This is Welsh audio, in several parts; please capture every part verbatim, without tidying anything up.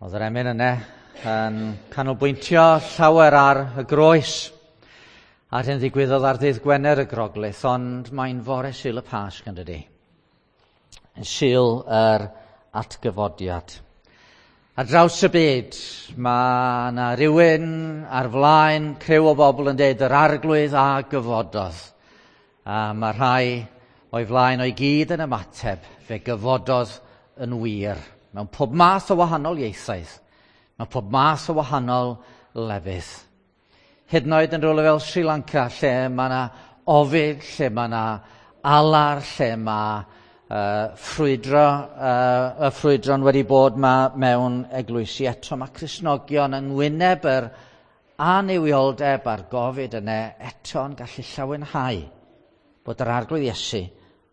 Oedd yr emyn yna yn canolbwyntio llawer ar y groes a'r hyn ddigwyddodd ar ddydd Gwener y Groglith, ond mae'n fore Sul y Pasg yn dydi? Yn Sul yr atgyfodiad. Ar draws y byd, mae yna rywun ar flaen criw o bobl yn deud yr arglwydd a gyfododd. A mae rhai o'i flaen o'i gyd yn ymateb, fe gyfododd yn wir. Mewn pob math o wahanol ieithoedd, mewn pob math o wahanol lefydd. Hyd yn oed yn rhywle fel Sri Lanka, lle mae yna ofid, lle mae yna alar, lle mae uh, ffrwydro, uh, y ffrwydron wedi bod ma mewn eglwysi. Eto mae Cristnogion yn wyneb yr annuwioldeb a'r gofid yna eto'n gallu llawenhau bod yr Arglwydd Iesu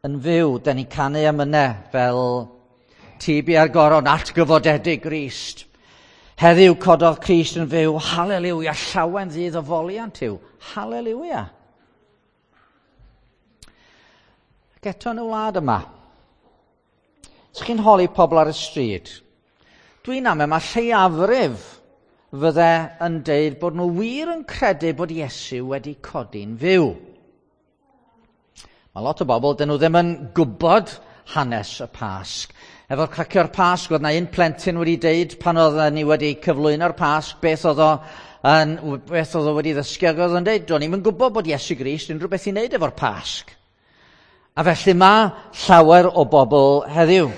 yn fyw. Da ni'n canu am yna fel Ti bia'r goron atgyfodedig Grist. Heddiw cododd Crist yn fyw, haleliwia, llawen ddydd o foliant yw, haleliwia. Ac eto yn y wlad yma, os chi'n holi pobl ar y stryd, dwi'n amau mae lleiafrif fydde yn deud bod nhw wir yn credu bod Iesu wedi codi'n fyw. Mae lot o bobl, dyn nhw ddim yn gwybod hanes y Pasg. Efo'r cracio'r Pasg, oedd na un plentyn wedi deud pan oedden ni wedi cyflwyno'r Pasg, beth oedd o, yn, beth oedd o wedi ddysgu, ac oedd o'n deud, do'n i'm yn gwybod bod Iesu Grist unrhyw beth i wneud efo'r Pasg. A felly mae llawer o bobl heddiw.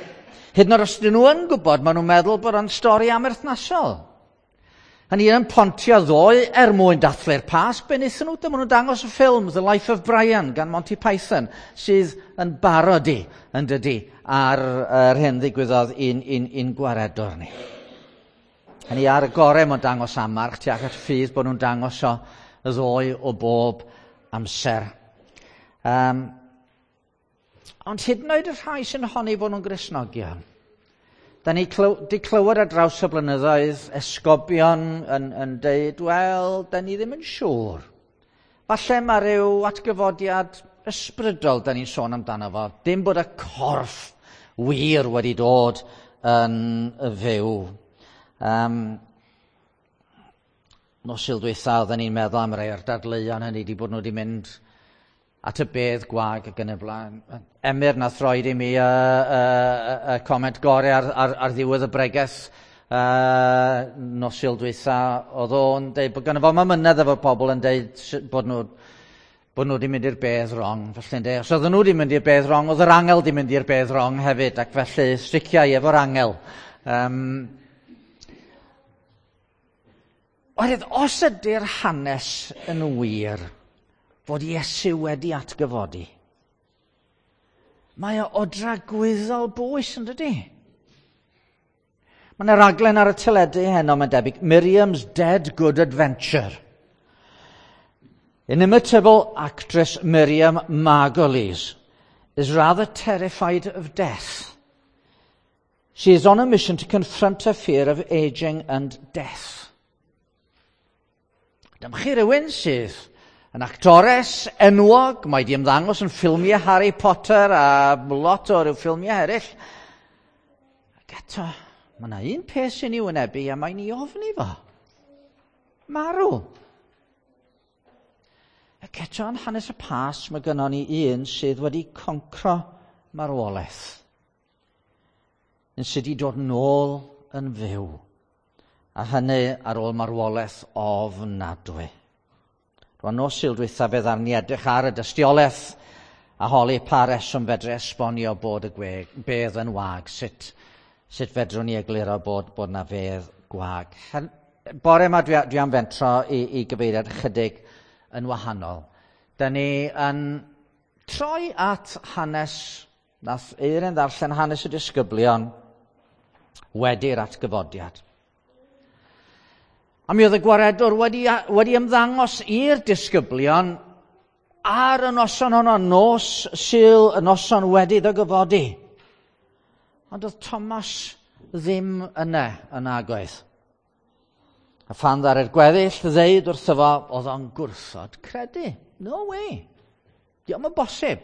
Hyd yn oed os ydyn nhw yn gwybod, maen nhw'n meddwl bod o'n stori amherthnasol. Hynny yn Pontio ddoe er mwyn dathlu'r Pasg, be wnaethon nhw? Dyma nhw'n dangos y ffilm The Life of Brian gan Monty Python, sydd yn barodi yn dydi ar yr hyn ddigwyddodd i'n, i'n, i'n gwaredwr ni. Hynny ar y gorau mae'n dangos amarch tuag at ffydd bod nhw'n dangos o y ddoe o bob amser. Um, ond hyd yn oed y rhai sy'n honni bod nhw'n Gristnogion, da ni clyw, di clywed ar draws y blynyddoedd esgobion yn, yn deud, wel, da ni ddim yn siŵr. Falle mae rhyw atgyfodiad ysbrydol da ni'n sôn amdano fo. Dim bod y corff wir wedi dod yn fyw. Um, nos Sul dwytha oedden ni'n meddwl am rai o'r dadleuon hynny, di bod nhw wedi mynd at y bedd gwag ac yn y blaen. Emyr nath roed i mi y, y, y, y comment gorau ar, ar, ar ddiwedd y bregeth uh, nos Sul dwytha. Oedd o'n deud bod gynno fo amynedd efo pobl yn deud bod nhw, bod nhw wedi mynd i'r bedd wrong. Felly yn deud, os oedden nhw wedi mynd i'r bedd wrong, oedd yr angel wedi mynd i'r bedd wrong hefyd, ac felly striciau efo'r angel. Um, Oherwydd, os ydy'r hanes yn wir fod Iesu wedi atgyfodi, mae o o dragwyddol bwys yn dydi? Mae yna raglen ar y teledu heno, mae'n debyg, Miriam's Dead Good Adventure. Inimitable actress Miriam Margolyes is rather terrified of death. She is on a mission to confront her fear of aging and death. Dyma chi rywun sydd yn actores enwog, mae di ymddangos yn ffilmiau Harry Potter a lot o ryw ffilmiau eraill. Ac eto, mae yna un peth sy'n ei wynebu a mae'n ei ofni fo. Marw. Ac eto yn hanes y Pasg mae gynnon ni un sydd wedi concro marwolaeth. Un sydd wedi dod nôl yn fyw. A hynny ar ôl marwolaeth ofnadwy. Rwan nos Sul dwytha fe ddaru ni edrych ar y dystiolaeth a holi pa reswm fedru esbonio bod y gwe, bedd yn wag, sut, sut fedrwn ni egluro bod, bod na fedd gwag. Hen, bore yma dwi, dwi am fentro i, i gyfeiriad chydig yn wahanol. Da ni yn troi at hanes, nath Eirin ddarllen hanes y disgyblion wedi'r atgyfodiad. A mi oedd y gwaredwr wedi, wedi ymddangos i'r disgyblion ar y noson honno, nos Sul, y noson wedi iddo gyfodi. Ond oedd Thomas ddim yna yn agoedd. A phan ddaru'r gweddill ddeud wrtho fo, oedd o'n gwrthod credu. No way. Dio'm yn bosib.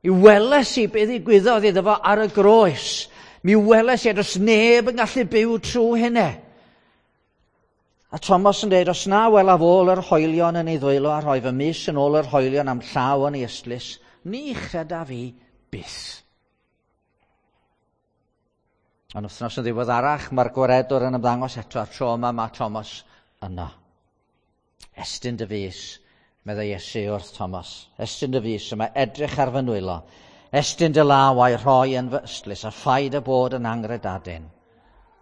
I weles i beth ddigwyddodd iddo fo ar y groes. Mi weles i, a does neb yn gallu byw trwy hynny. A Thomas yn dweud, os na welaf ôl yr hoelion yn ei ddwylo a rhoi fy mys yn ôl yr hoelion am llaw yn ei ystlys, ni chredaf fi byth. Ond wythnos yn ddiweddarach, mae'r gwaredwr yn ymddangos eto, a'r tro yma mae Thomas yno. Estyn dy fys, meddai Iesu wrth Thomas. Estyn dy fys yma, edrych ar fy nwylo. Estyn dy law a'i rhoi yn fy ystlys, a phaid â bod yn angredadun,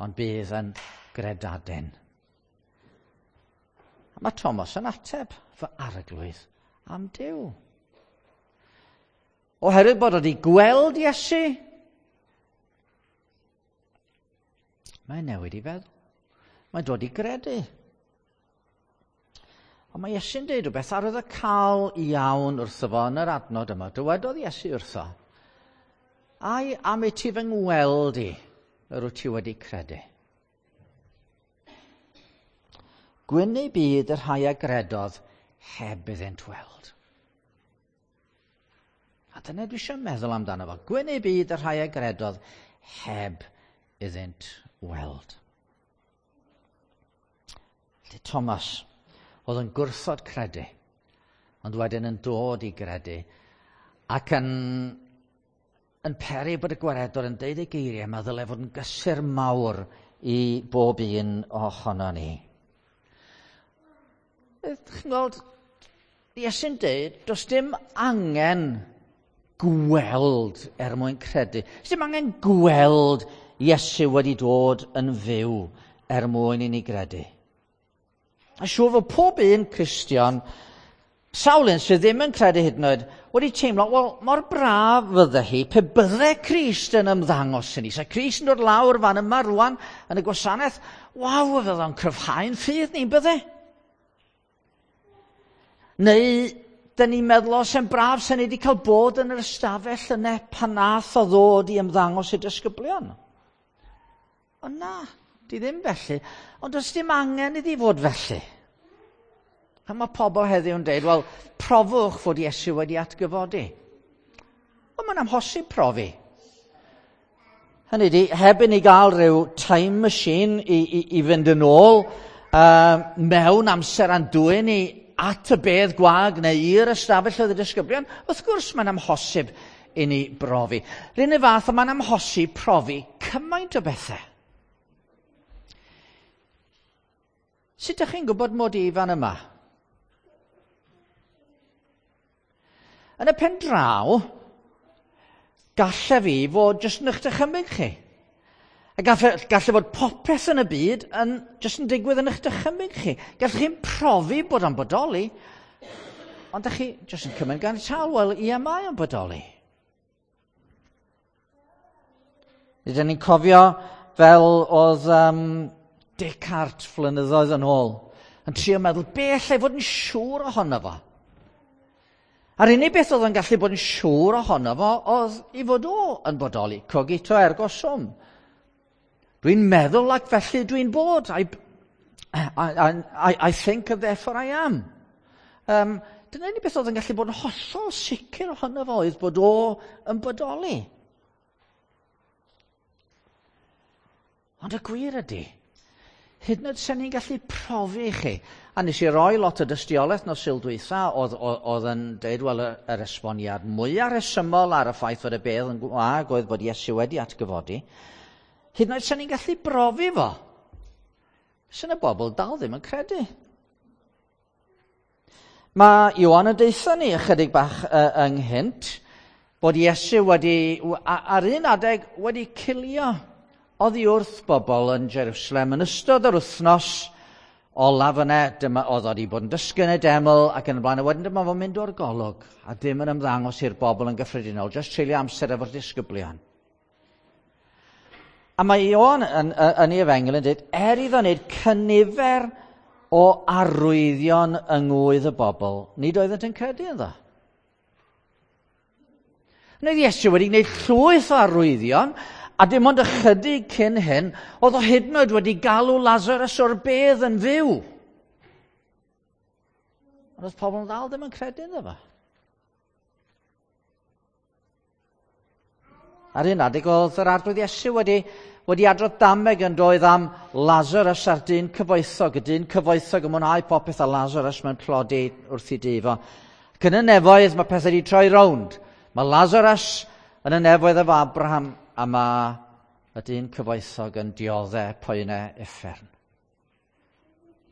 ond bydd yn gredadun. A mae Thomas yn ateb, fy arglwydd am Duw. Oherwydd bod wedi gweld Iesu, mae'n newid i feddwl. Mae'n dod i gredu. Ond mae Iesu'n dweud rhywbeth arwyddocaol iawn wrtho fo yn yr adnod yma. Dywedodd Iesu wrtho, ai am i ti fy ngweld i, yr wyt ti wedi credu. Gwyn eu byd y rhai a gredodd heb iddynt weld. A dyna dwi eisiau meddwl amdano fo. Gwyn eu byd y rhai a gredodd heb iddynt weld. Felly Thomas oedd yn gwrthod credu, ond wedyn yn dod i gredu, ac yn, yn peri bod y gwaredwr yn deud y geiriau yma ddyle fod yn gysur mawr i bob un ohono ni. Chi'n gweld, Iesu'n deud, does dim angen gweld er mwyn credu. Does dim angen gweld Iesu wedi dod yn fyw er mwyn i ni gredu. A siŵr fod pob un Cristion, sawl un sydd ddim yn credu hyd yn oed, wedi teimlo, wel, mor braf fydde hi pe bydde Crist yn ymddangos i ni. Sa Crist yn dod lawr fan yma rwan yn y gwasanaeth, waw, fydde o'n cryfhau'n ffydd ni'n bydde. Neu, dyn ni'n meddwl, o, sy'n braf sy'n ni wedi cael bod yn yr ystafell yna pan nath o ddod i ymddangos i disgyblion. Ond na, di ddim felly. Ond does dim angen iddi fod felly. A mae pobl heddiw yn dweud, wel, profwch fod Iesu wedi atgyfodi. Wel, mae'n amhosib profi. Hynny ydi, heb i ni gael rhyw time machine i, i, i fynd yn ôl uh, mewn amser a'n dwyn ni at y bedd gwag neu i'r ystafell oedd y disgyblion, wrth gwrs mae'n amhosib i ni brofi. R'un y fath, mae'n amhosib profi cymaint o bethau. Sut ydych chi'n gwybod mod i fan yma? Yn y pen draw, galle fi fod jyst yn eich dychymyg chi. A galle, galle fod popeth yn y byd yn, jyst yn digwydd yn eich dychymyg chi. Gallech chi'n profi bod o'n bodoli, ond ydych chi jyst yn cymryd gan tal, wel, ie, mae o'n bodoli. Rydyn ni'n cofio fel oedd um, Descartes flynyddoedd yn ôl, yn trio meddwl, be allai fod yn siŵr ohono fo? A'r unig beth oedd yn gallu bod yn siŵr ohono fo oedd i fod o yn bodoli, cogito ergo sum. Dwi'n meddwl ac felly dwi'n bod. I, I, I, I think and therefore I am. Um, dyna unig beth oedd yn gallu bod yn hollol sicr ohono fo oedd bod o yn bodoli. Ond y gwir ydy, hyd yn oed sen ni'n gallu profi i chi. A nes i roi lot o dystiolaeth nos Sul dwytha oedd, oedd yn dweud, wel, yr esboniad mwyaf rhesymol ar y ffaith fod y bedd yn gwag oedd bod Iesu wedi atgyfodi. Hyd yn oed sen ni'n gallu brofi fo. Sy'n y bobl dal ddim yn credu. Mae Ioan yn deutha ni ychydig bach uh, ynghynt bod Iesu wedi, ar un adeg, wedi cilio oddi wrth bobl yn Jerusalem yn ystod yr wythnos olaf yna, dyma oedd wedi bod yn dysgu yn y deml ac yn y blaen, a wedyn dyma fo'n mynd o'r golwg a dim yn ymddangos i'r bobl yn gyffredinol, jyst treulio amser efo'r disgyblion. A mae Ioan yn, yn, yn ei efengyl yn dweud, er iddo wneud cynifer o arwyddion yng ngwydd y bobl, nid oeddent yn credu ynddo. Wneud Iesu wedi gwneud llwyth o arwyddion, a dim ond ychydig cyn hyn, oedd o hyd yn oed wedi galw Lazarus o'r bedd yn fyw. Ond oedd pobl yn dal ddim yn credu ynddo fo. Ar un adeg oedd yr Arglwydd Iesu wedi, wedi adrodd dameg yn doedd am Lazarus a'r dyn cyfoethog. Y dyn cyfoethog yn mwynhau popeth a Lazarus mewn tlodi wrth ei dŷ fo. Ac yn y nefoedd mae pethau wedi troi rownd. Mae Lazarus yn y nefoedd efo Abraham a mae y dyn cyfoethog yn dioddef poenau uffern.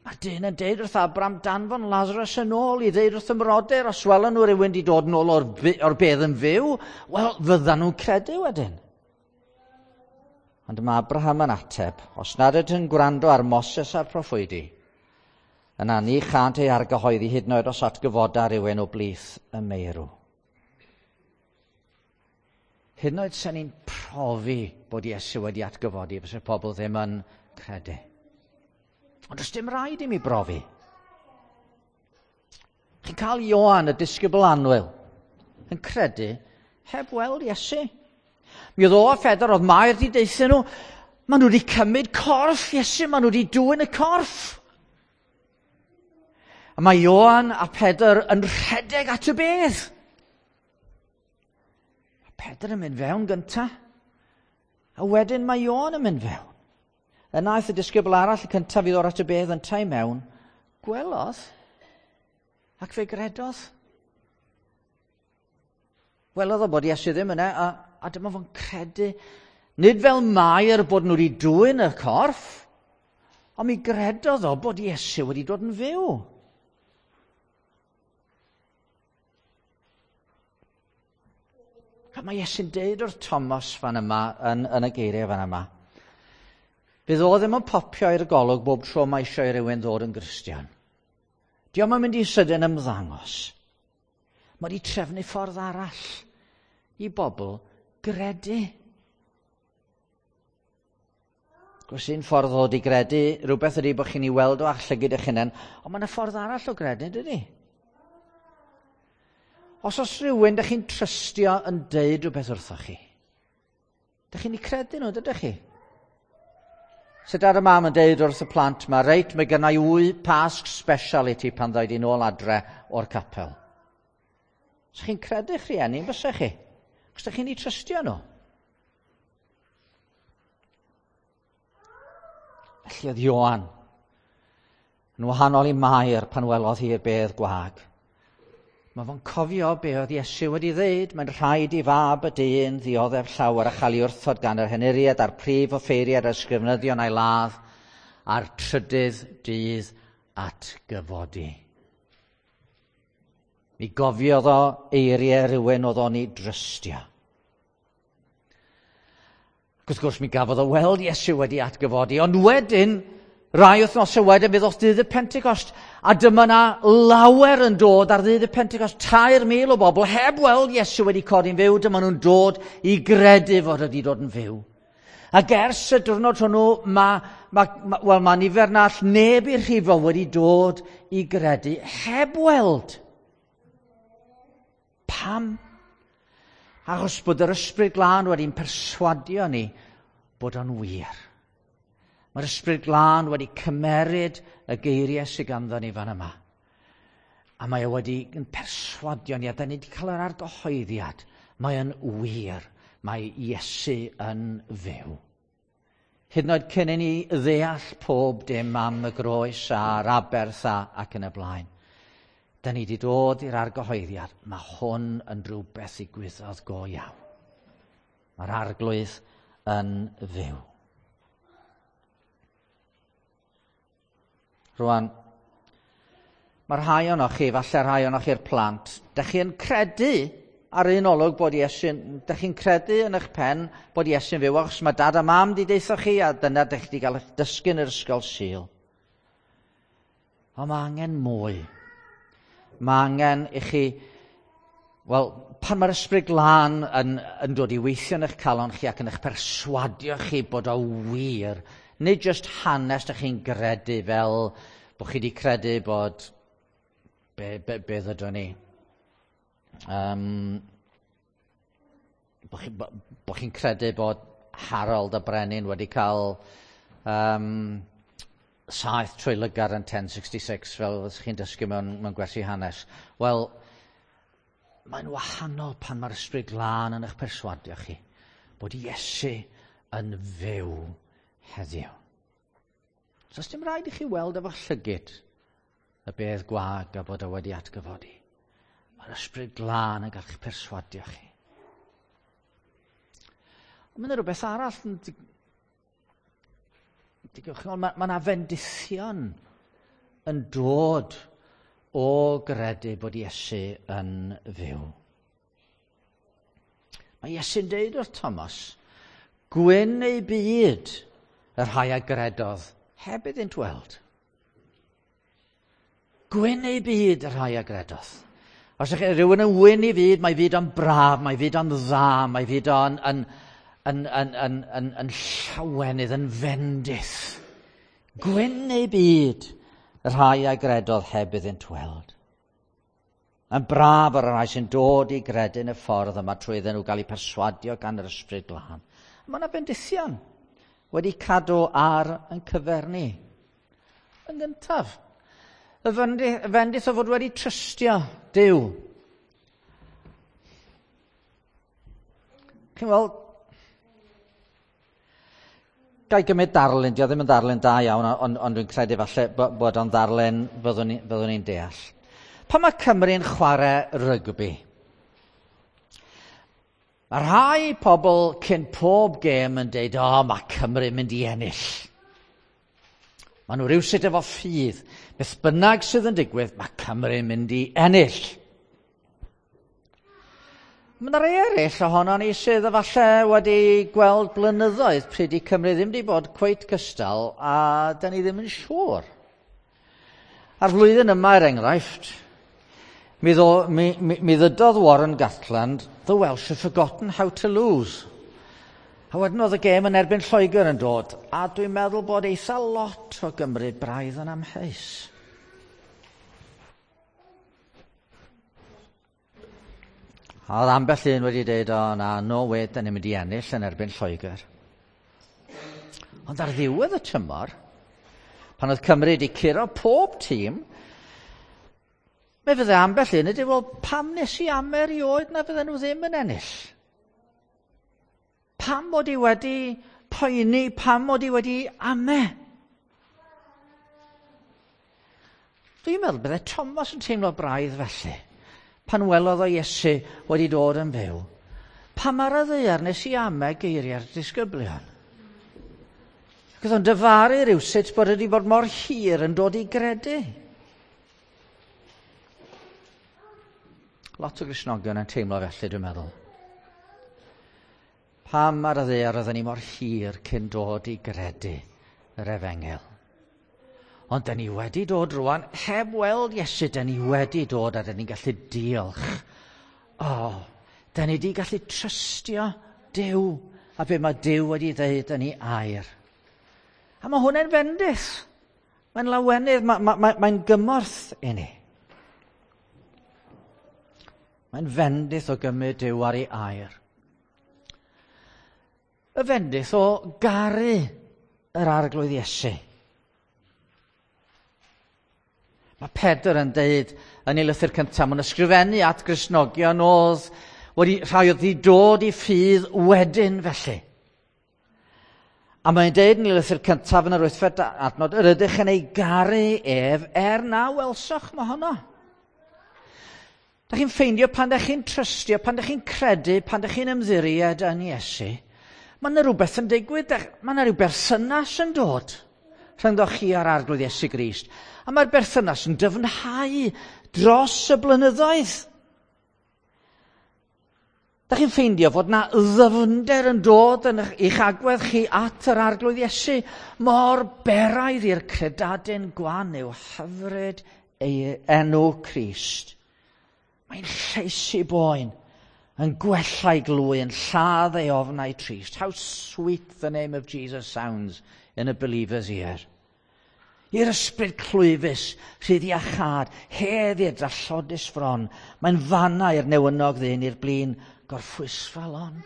Mae'r dyn yn deud wrth Abraham, danfon Lazarus yn ôl i ddeud wrth y mrodyr, os welen nhw rhywun wedi dod yn ôl o'r, o'r bedd yn fyw, wel, fyddan nhw'n credu wedyn. Ond mae Abraham yn ateb, os nad ydyn yn gwrando ar Moses a'r proffwydi, yna ni chant ei argyhoeddi hyd yn oed os atgyfoda rhywun o blith y meirw. Hyd yn oed sen ni'n profi bod Iesu wedi atgyfodi, fysa pobl ddim yn credu. Ond does dim rhaid i mi brofi. Chi'n cael Ioan, y disgybl annwyl, yn credu heb weld Iesu. Mi oedd o a Phedr, oedd Mair wedi deutha nhw, maen nhw wedi cymryd corff Iesu, maen nhw wedi dwyn y corff. A mae Ioan a Pedr yn rhedeg at y bedd. Mae Pedr yn mynd fewn gynta, a wedyn mae Ioan yn mynd fewn. Yna aeth y disgybl arall y cyntaf i ddod at y bedd yntau mewn, gwelodd ac fe gredodd. Welodd o bod Iesu ddim yna, a, a dyma fo'n credu. Nid fel Mair bod nhw wedi dwyn y corff, ond mi gredodd o bod Iesu wedi dod yn fyw. A mae Iesu'n deud wrth Thomas fan yma, yn, yn y geiriau fan yma, fydd o ddim yn popio i'r golwg bob tro mae eisiau i rywun ddod yn Gristion. Dio'm yn mynd i sydyn ymddangos. Mae wedi trefnu ffordd arall i bobl gredu. Gwrs un ffordd ddod i gredu, rhywbeth ydy bod chi'n ei weld o a'ch llygid eich hunain, ond mae yna ffordd arall o gredu, dydy? Os oes rhywun dych chi'n trystio yn deud rhywbeth wrthoch chi, dych chi'n ei credu nhw, dydych chi? Sut ar y mam yn deud wrth y plant ma, reit, mae gynna i wy Pasg special i ti pan ddoi di nôl adre o'r capel. So chi'n credu'ch rhieni, bysech chi? Chos dych chi'n ei trystio nhw. Felly oedd Ioan yn wahanol i Mair pan welodd hi'r bedd gwag. Mae fo'n cofio be oedd Iesu wedi ddeud, mae'n rhaid i fab y dyn ddioddef llawer a chael ei wrthod gan yr henuriad a'r prif offeiriad a'r ysgrifenyddion a'i ladd a'r trydydd dydd atgyfodi. Mi gofiodd o eiriau rhywun oedd o'n ei drystio. Ac wrth gwrs mi gafodd o weld Iesu wedi atgyfodi, ond wedyn, rai wythnosau wedyn, fe ddoth dydd y Pentecost, a dyma na lawer yn dod ar ddydd y Pentecost, tair mil o bobl heb weld Iesu wedi codi'n fyw, dyma nhw'n dod i gredu fod wedi dod yn fyw. Ac ers y diwrnod hwnnw, mae ma, ma, wel, ma nifer na all neb i'r rhifo wedi dod i gredu heb weld. Pam? Achos bod yr Ysbryd Glân wedi'n perswadio ni bod o'n wir. Mae'r Ysbryd Glân wedi cymeryd y geiriau sydd ganddo ni fan yma. A mae o wedi yn perswadio ni, a da ni wedi cael yr argyhoeddiad. Mae o'n wir. Mae Iesu yn fyw. Hyd yn oed cyn i ni ddeall pob dim am y groes a'r aberth a, ac yn y blaen. Da ni wedi dod i'r argyhoeddiad. Mae hwn yn rhywbeth ddigwyddodd go iawn. Mae'r Arglwydd yn fyw. Rwan, mae rhai ohonoch chi, falle rhai ohonoch chi'r plant, dych chi'n credu ar un olwg bod Iesu'n, dych chi'n credu yn eich pen bod Iesu'n fyw, achos mae dad a mam wedi deutha chi, a dyna dych chi wedi cael eich dysgu yn yr ysgol Sul. Ond mae angen mwy. Mae angen i chi, wel, pan mae'r Ysbryd Glân yn, yn dod i weithio yn eich calon chi ac yn eich perswadio chi bod o wir, nid jyst hanes dych chi'n gredu fel bod chi wedi credu bod, be, be, be ddydon ni, um, bod chi, bo chi'n credu bod Harold y Brenin wedi cael um, saith trwy lygad yn ten sixty-six fel ydych chi'n dysgu mewn, mewn gwersi hanes. Wel, mae'n wahanol pan mae'r Ysbryd Glân yn eich perswadio chi bod Iesu yn fyw heddiw. So, os dim rhaid i chi weld efo llygid y bedd gwag a bod o wedi atgyfodi. Mae'r Ysbryd Glân yn gallu perswadio chi. Ond mae'n rhywbeth arall yn digwydd. Mae yna fendithion yn dod o gredu bod Iesu yn fyw. Mae Iesu'n deud wrth Thomas, "Gwyn eu byd y rhai a gredodd heb iddynt weld." Gwyn eu byd y rhai a gredodd. Os ydych chi rhywun yn wyn ei fyd, mae fyd o'n braf, mae fyd o'n dda, mae fyd o'n yn, yn, yn, yn, yn, yn llawenydd, yn fendith. Gwyn eu byd y rhai a gredodd heb iddynt weld. Yn braf ar y rhai sy'n dod i gredu yn y ffordd yma trwy iddyn nhw gael eu perswadio gan yr Ysbryd Glân. Mae yna bendithion wedi cadw ar yn cyfer ni. Yn gyntaf, y fendith o fod wedi trystio Duw. Chi'n weld, gai gymryd darlun, dio ddim yn ddarlun da iawn, ond, ond dwi'n credu falle bod o'n ddarlun fyddwn ni'n fyddwn ni deall. Pan mae Cymru'n chwarae rygbi, mae rhai pobl cyn pob gêm yn deud, "O, mae Cymru'n mynd i ennill." Maen nhw rhywsut efo ffydd. Beth bynnag sydd yn digwydd, mae Cymru'n mynd i ennill. Mae yna rai eraill ohono ni sydd efallai wedi gweld blynyddoedd pryd i Cymru ddim wedi bod cweit cystal, a da ni ddim yn siŵr. A'r flwyddyn yma, er enghraifft, mi, ddo, mi, mi, mi ddydodd Warren Gatland, "The Welsh have forgotten how to lose." A wedyn oedd y gêm yn erbyn Lloegr yn dod, a dwi'n meddwl bod eitha lot o Gymru braidd yn amheus. A oedd ambell un wedi dweud, "O na, no way, da ni'n mynd i ennill yn erbyn Lloegr." Ond ar ddiwedd y tymor, pan oedd Cymru wedi curo pob tîm, mi fydde ambell un wedi, "Wel, pam nes i ame erioed na fydden nhw ddim yn ennill? Pam mod i wedi poeni, pam mod i wedi ame?" Dwi'n meddwl bydde Thomas yn teimlo braidd felly, pan welodd o Iesu wedi dod yn fyw. "Pam ar y ddaear nes i ame geiriau'r disgyblion?" Ac oedd o'n dyfaru rhywsut bod wedi bod mor hir yn dod i gredu. Lot o Gristnogion yn teimlo felly, dwi'n meddwl. Pam ar y ddaear oedden ni mor hir cyn dod i gredu yr efengyl? Ond da ni wedi dod rwan, heb weld Iesu, da ni wedi dod a da ni'n gallu diolch. O, oh, da ni wedi gallu trystio Duw a be mae Duw wedi dweud yn ei air. A mae hwnna'n fendith. Mae'n lawenydd, mae'n ma, ma, mae gymorth i ni. Mae'n fendith o gymryd Duw ar ei air. Y fendith o garu yr Arglwydd Iesu. Mae Pedr yn deud yn ei lythyr cyntaf, mae'n ysgrifennu at Gristnogion oedd wedi, rhai oedd wedi dod i ffydd wedyn felly. A mae'n deud yn ei lythyr cyntaf yn yr wythfed adnod, "Yr ydych yn ei garu ef er na welsoch mohono." Da chi'n ffeindio pan da chi'n trystio, pan da chi'n credu, pan da chi'n ymddiried yn Iesu, mae yna rhywbeth yn digwydd, mae yna rhyw berthynas yn dod rhyngddo chi a'r Arglwydd Iesu Grist. A mae'r berthynas yn dyfnhau dros y blynyddoedd. Da chi'n ffeindio fod na ddyfnder yn dod yn eich agwedd chi at yr Arglwydd Iesu. Mor beraidd i'r credadun gwan yw hyfryd ei enw Crist. Mae'n lleisi boen, yn gwella'i glwy, yn lladd ei ofnau trist. How sweet the name of Jesus sounds in a believer's ear. I'r ysbryd clwyfus, rhydd iachâd, hedd i'r drallodus fron. Mae'n fanna i'r newynog ddyn, i'r blin gorffwysfa lon.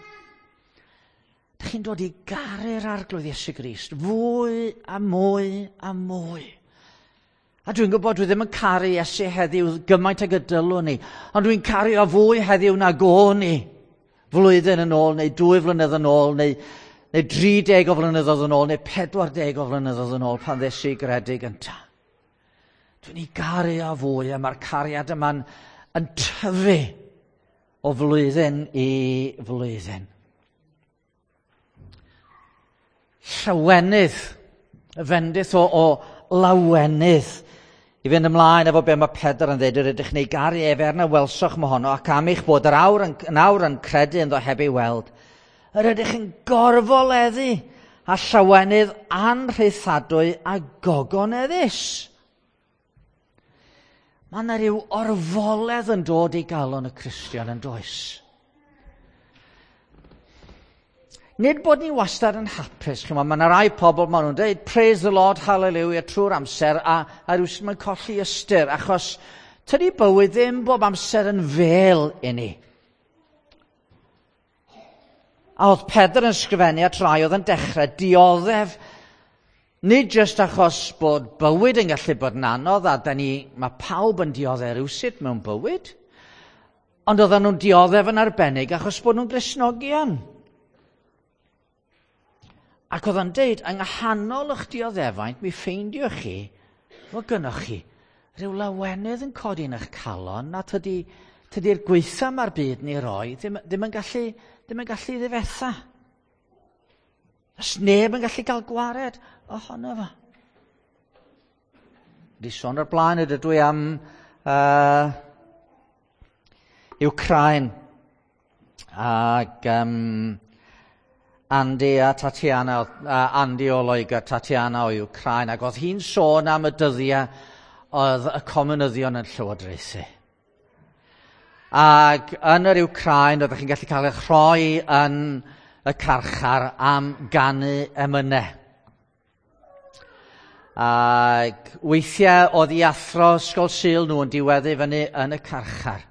Da chi'n dod i garu'r Arglwydd Iesu Grist fwy a mwy a mwy. A dwi'n gwybod dwi ddim yn caru Iesu heddiw gymaint ag y dylwn ni, ond dwi'n caru o fwy heddiw nag o'n i Flwyddyn yn ôl, neu dwy flynedd yn ôl, neu, neu dri deg o flynyddoedd yn ôl, neu pedwar deg o flynyddoedd yn ôl pan ddes i gredu gynta. Dwi'n ei garu o fwy, a mae'r cariad yma'n yn tyfu o flwyddyn i flwyddyn. Llawenydd, y fendith o, o lawenydd. I fynd ymlaen efo be mae Pedr yn dweud, yr ydych chi'n ei garu ef er na welsoch mohono, ac am eich bod yr awr yn, yn awr yn credu ynddo heb ei weld, yr ydych yn gorfoleddu a llawenydd anrhaethadwy a gogoneddus. Mae yna rhyw orfoledd yn dod i galon y Cristion yn does. Nid bod ni wastad yn hapus, chimod, mae yna rai pobl, maen nhw'n dweud, praise the Lord, hallelujah, trwy'r amser, a, a rhywsut mae'n colli ystyr, achos tydi bywyd ddim bob amser yn fel i ni. A oedd Pedr yn sgrifennu at rai oedd yn dechrau dioddef, nid jyst achos bod bywyd yn gallu bod yn anodd, a da ni, mae pawb yn dioddef rhywsut mewn bywyd, ond oedden nhw'n dioddef yn arbennig achos bod nhw'n Gristnogion. Ac oedd o'n deud, yng nghanol eich dioddefaint, mi ffeindioch chi, fod gynnoch chi rhyw lawenydd yn codi yn eich calon, na tydi, tydi'r gweitha mae'r byd ni roi ddim, ddim yn gallu, ddim yn gallu ddifetha. Os neb yn gallu cael gwared ohono fo. Di sôn o'r blaen ydw i am uh, Ukraine. Ac um, Andy a Tatiana, uh, Andy o Loegr, Tatiana o Ukraine, ac oedd hi'n sôn am y dyddiau oedd y comunyddion yn llywodraethu. Ac yn yr Ukraine, oeddech chi'n gallu cael eich rhoi yn y carchar am ganu emynau. Ac weithiau oedd i athro ysgol Sul nhw yn diweddu fyny yn y carchar.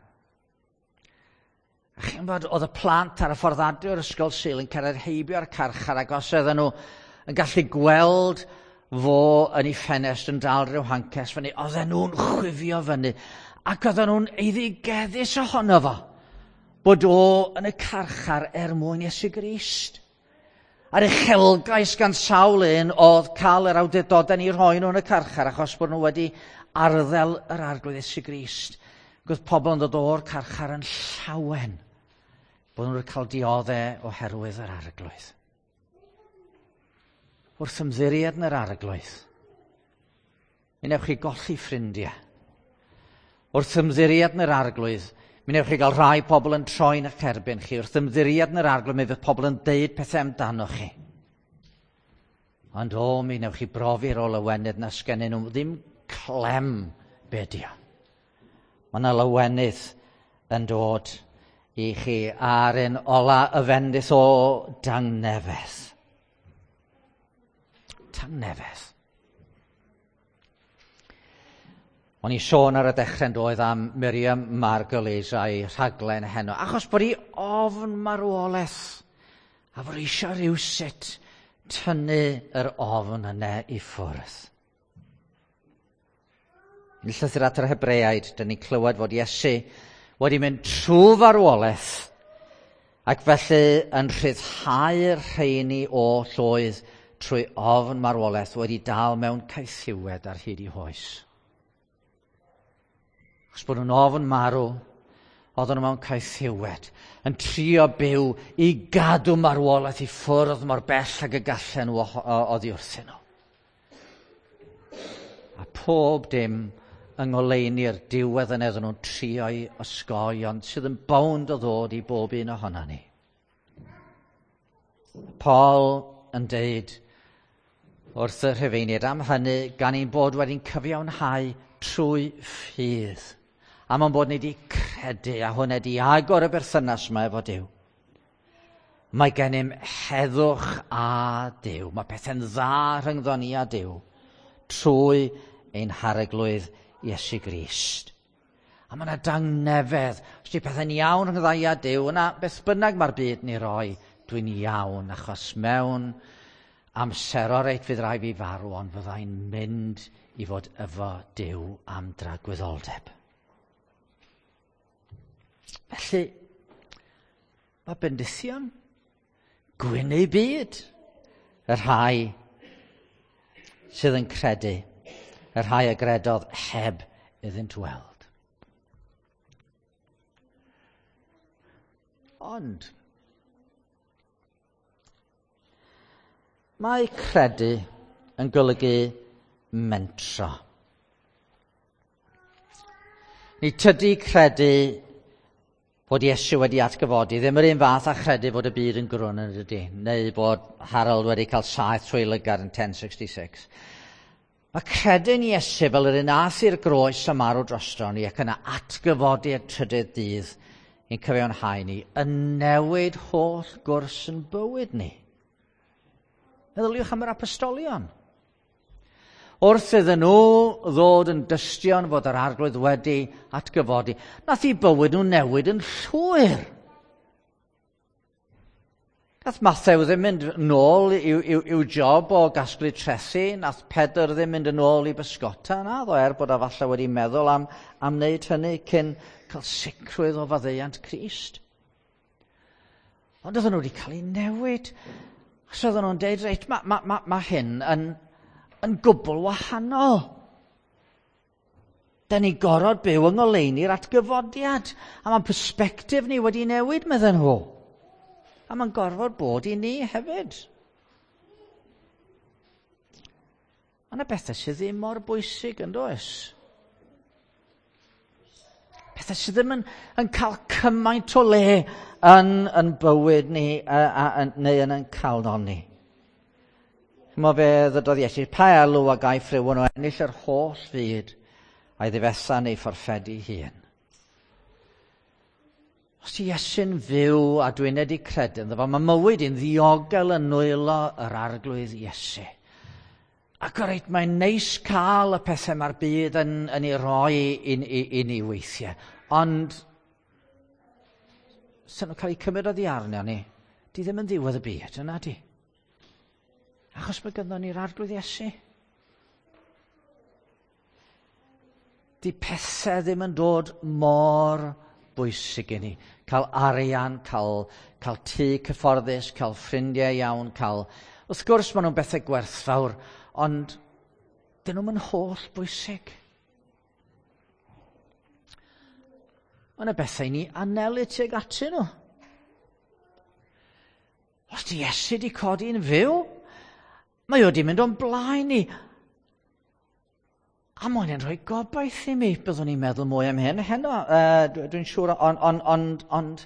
A chi'n bod, oedd y plant ar y ffordd adre o'r ysgol Sul yn cyrraedd heibio'r carchar, ac os oedden nhw yn gallu gweld fo yn ei ffenest yn dal rhyw hancas fyny, oedden nhw'n chwifio fyny, ac oedden nhw'n eiddigeddus ohono fo, bod o yn y carchar er mwyn Iesu Grist. A'r uchelgais gan sawl un oedd cael yr awdurdodau ni rhoi nhw yn y carchar, achos bod nhw wedi arddel yr Arglwydd Iesu Grist. Ac oedd pobl yn dod o'r carchar yn llawen bod nhw wedi cael dioddef oherwydd yr Arglwydd. Wrth ymddiried yn yr Arglwydd, mi wnewch chi golli ffrindiau. Wrth ymddiried yn yr Arglwydd, mi wnewch chi gael rhai pobl yn troi'n eich erbyn chi. Wrth ymddiried yn yr Arglwydd, mi fydd pobl yn deud pethau amdano chi. Ond o, mi wnewch chi brofi'r o lawenydd na sgennyn nhw ddim clem be di o. Mae yna lawenydd yn dod i chi ar un ola y fendith o dangnefedd. Tangnefedd. O'n i sôn ar y dechrau yn doedd am Miriam Margolyes a'i rhaglen heno, achos bod hi ofn marwolaeth, a bod eisiau rhywsut tynnu yr ofn yna i ffwrdd. Yn llythyr at yr Hebreaid, dyn ni'n clywed fod Iesu wedi mynd trwy farwolaeth, ac felly yn rhyddhau'r rheini o llwydd trwy ofn marwolaeth wedi dal mewn caethiwed ar hyd ei hoes. Achos bod nhw'n ofn marw, oedden nhw mewn caethiwed, yn trio byw i gadw marwolaeth i ffwrdd mor bell ag y gallen nhw oddi wrthyn nhw. A pob dim yng ngoleuni'r diwedd yn iddyn nhw'n trio'i osgoi, ond sydd yn bownd o ddod i bob un ohono ni. Paul yn deud wrth y Rhufeiniaid am hynny, gan ein bod wedi'n cyfiawnhau trwy ffydd, am ein bod ni wedi credu, a hwnna wedi agor y berthynas yma efo Duw. Mae gennym heddwch a Duw. Mae pethau'n dda rhyngddo ni a Duw trwy ein Harglwydd Iesu Grist. A mae yna dangnefedd. Os di pethau'n iawn rhyngddo i a Duw, yna beth bynnag mae'r byd ni roi, dwi'n iawn, achos mewn amser o reit fydd rai fi farw, ond fyddai'n mynd i fod efo Duw am dragwyddoldeb. Felly, Mae bendithion, gwyn eu byd, y rhai sydd yn credu, y rhai a gredodd heb iddynt weld. Ond, mae credu yn golygu mentro. Ni tydi credu bod Iesu wedi atgyfodi, ddim yr un fath a chredu fod y byd yn grwn yn dydy, neu bod Harold wedi cael saith trwy lygad yn ten sixty-six. Mae credu'n Iesu fel yr un ath i'r groes a marw drosto ni ac yna atgyfodi y trydydd dydd i'n cyfiawnhau ni, yn newid holl gwrs yn bywyd ni. Meddyliwch am yr apostolion. Wrth iddyn nhw ddod yn dystion fod yr Arglwydd wedi atgyfodi, nath i bywyd nhw newid yn llwyr. Nath Mathew ddim mynd nôl i'w, i'w, i'w job o gasglu trethi, nath Pedr ddim mynd yn ôl i bysgota, naddo, er bod a falle wedi meddwl am, am wneud hynny cyn cael sicrwydd o faddeuant Crist. Ond oedden nhw wedi cael eu newid. Achos oedden nhw'n deud, reit, mae ma, ma, ma hyn yn, yn gwbl wahanol. Da ni gorfod byw yng ngoleuni'r atgyfodiad. A mae'n persbectif ni wedi newid, medden nhw. A mae'n gorfod bod i ni hefyd. Mae yna bethau sydd ddim mor bwysig yn does? Pethau sydd ddim yn, yn cael cymaint o le yn, yn bywyd ni a, a, a, neu yn ein calon ni. Chimod fe ddydodd Iesu, pa elw a gaiff rhywun o ennill yr holl fyd a'i ddifetha neu fforffedu hun? Os ti Iesu'n fyw a dwi'n wedi credu ynddo fo, mae mywyd i'n ddiogel yn nwylo yr Arglwydd Iesu. Ac o reit, mae'n neis cael y pethau mae'r byd yn, yn ei roi i, i, i ni weithiau. Ond, sy'n nhw'n cael eu cymryd oddi arno ni, di ddim yn ddiwedd y byd, yna di. Achos mae gynnon ni'r Arglwydd Iesu. Di pethau ddim yn dod mor bwysig i ni. Cael arian, cael, cael tŷ cyfforddus, cael ffrindiau iawn, cael... Wrth gwrs maen nhw'n bethau gwerthfawr, ond dyn nhw'm yn holl bwysig. Mae yna bethau i ni anelu tuag atyn nhw. Os di Iesu di codi'n fyw, mae o di mynd o'n blaen ni. A mae hynny'n rhoi gobaith i mi. Byddwn ni'n meddwl mwy am hyn heno, uh, dwi'n siŵr, ond, ond, ond, ond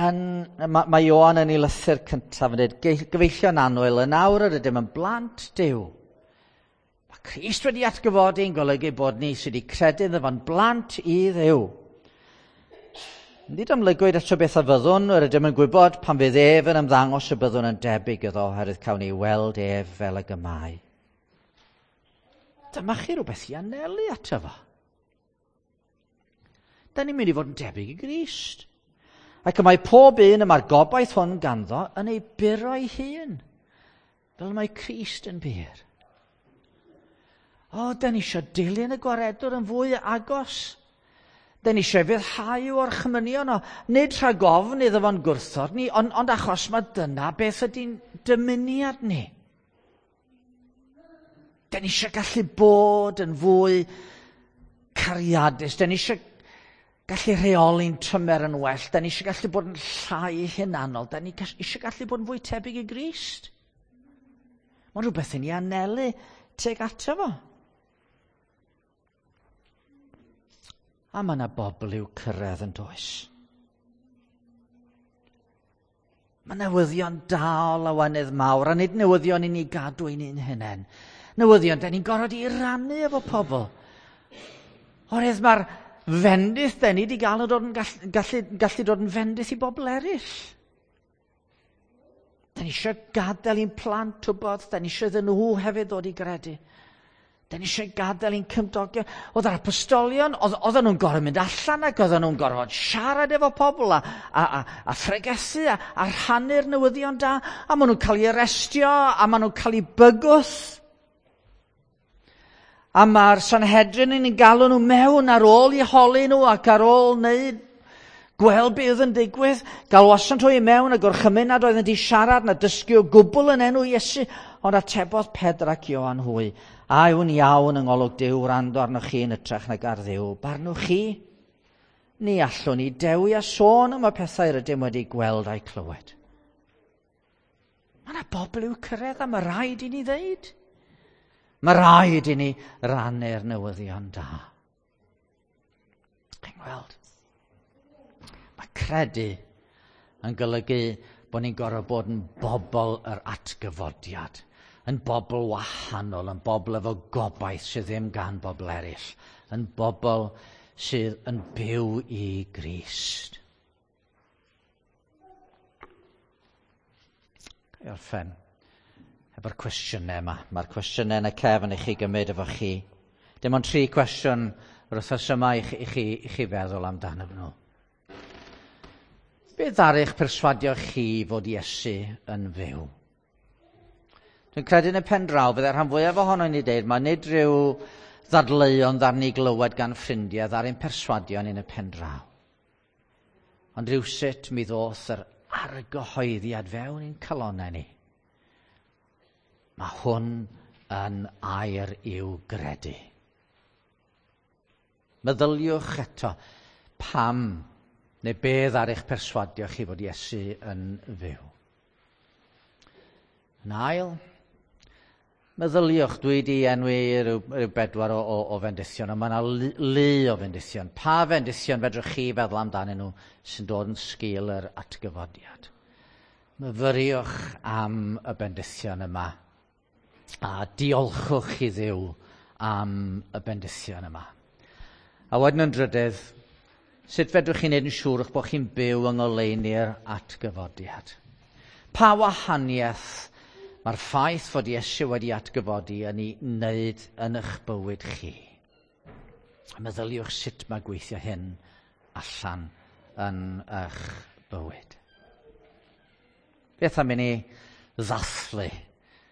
yn, mae, mae Ioan yn ei lythyr cyntaf yn dweud, gyfeillion annwyl, yn awr yr ydym yn blant Duw. Mae Crist wedi atgyfodi yn golygu bod ni sydd wedi credu iddo fo'n blant i Dduw. Nid amlygwyd eto beth a fyddwn, yr ydym yn gwybod pan fydd ef yn ymddangos y byddwn yn debyg iddo, oherwydd cawn ni weld ef fel ag y mae. Dyma chi rhywbeth i anelu ato fo. Da ni'n mynd i fod yn debyg i Grist. Ac y mae pob un y mae'r gobaith hwn ganddo yn ei buro ei hun, fel mae Crist yn bur. O, da ni eisiau dilyn y gwaredwr yn fwy agos. Da ni eisiau fyddhau o'r chmynion o, nid rhag ofn iddo fo'n gwrthod ni, ond, ond achos mae dyna beth ydy'n dymuniad ni. Da ni eisiau gallu bod yn fwy cariadus, da ni eisiau gallu rheoli'n tymer yn well, da ni eisiau gallu bod yn llai hunanol, da ni eisiau gallu bod yn fwy tebyg i Grist. Mae'n rhywbeth i ni anelu tuag ato fo. A mae yna bobl i'w cyrraedd yn does. Mae newyddion da o lawenydd mawr, a nid newyddion i ni gadw i ni'n hunain. Newyddion, da ni'n gorfod i rannu efo pobl. Oherwydd mae'r fendith da ni wedi gael yn dod yn gallu, gallu, gallu dod yn fendith i bobl eraill. Da ni eisiau gadael i'n plant wybod, da ni eisiau iddyn nhw hefyd ddod i gredu. Da ni eisiau gadael i'n cymdogion. Oedd yr apostolion, oedden nhw'n gorfod mynd allan ac oedden nhw'n gorfod siarad efo pobl a, a, a, a phregethu a, a rhannu'r newyddion da. A maen nhw'n cael eu arestio a maen nhw'n cael eu bygwth. A mae'r Sanhedrin yn galw nhw mewn ar ôl i holi nhw ac ar ôl wneud Gweld be oedd yn digwydd, galwasant hwy i mewn a gorchymyn nad oeddent i siarad na dysgu o gwbl yn enw Iesu, ond atebodd Pedr ac Ioan hwy, a yw'n iawn yng ngolwg Duw wrando arnoch chi yn hytrach nag ar Dduw, barnwch chi? Ni allwn ni dewi a sôn am y pethau rydym wedi gweld a'u clywed. Mae yna bobl i'w cyrraedd a mae rhaid i ni ddeud. Mae rhaid i ni rannu'r newyddion da. Chi'n gweld? Mae credu yn golygu bod ni'n gorfod bod yn bobl yr atgyfodiad, yn bobl wahanol, yn bobl efo gobaith sydd ddim gan bobl eraill, yn bobl sydd yn byw i Grist. Ga i orffen efo'r cwestiynau yma. Mae'r cwestiynau yn y cefn i chi gymryd efo chi. Dim ond tri cwestiwn yr wythnos yma i chi, i chi, i chi feddwl amdano nhw. Beth ddaru eich perswadio chi fod Iesu yn fyw? Dwi'n credu yn y pen draw, fydde'r rhan fwyaf ohono ni dweud, mae nid rhyw ddadleuon ddaru ni glywed gan ffrindiau ddaru'n perswadio ni yn y pen draw. Ond rhywsut mi ddoth yr argyhoeddiad fewn i'n calonnau ni. Mae hwn yn air i'w gredu. Meddyliwch eto pam neu beth ar eich perswadio chi fod Iesu yn fyw. Yn ail, meddyliwch, dwi wedi enwi rhyw, rhyw bedwar o, o, o fendithion, ond mae yna lu, lu o fendithion. Pa fendithion fedrwch chi feddwl amdanyn nhw sy'n dod yn sgil yr atgyfodiad? Myfyriwch am y bendithion yma a diolchwch i Dduw am y bendithion yma. A wedyn yn drydydd, sut fedrwch chi wneud yn siŵr eich bod chi'n byw yng ngoleuni'r atgyfodiad? Pa wahaniaeth mae'r ffaith fod Iesu wedi atgyfodi yn ei wneud yn eich bywyd chi? A meddyliwch sut mae gweithio hyn allan yn eich bywyd. Beth am i ni ddathlu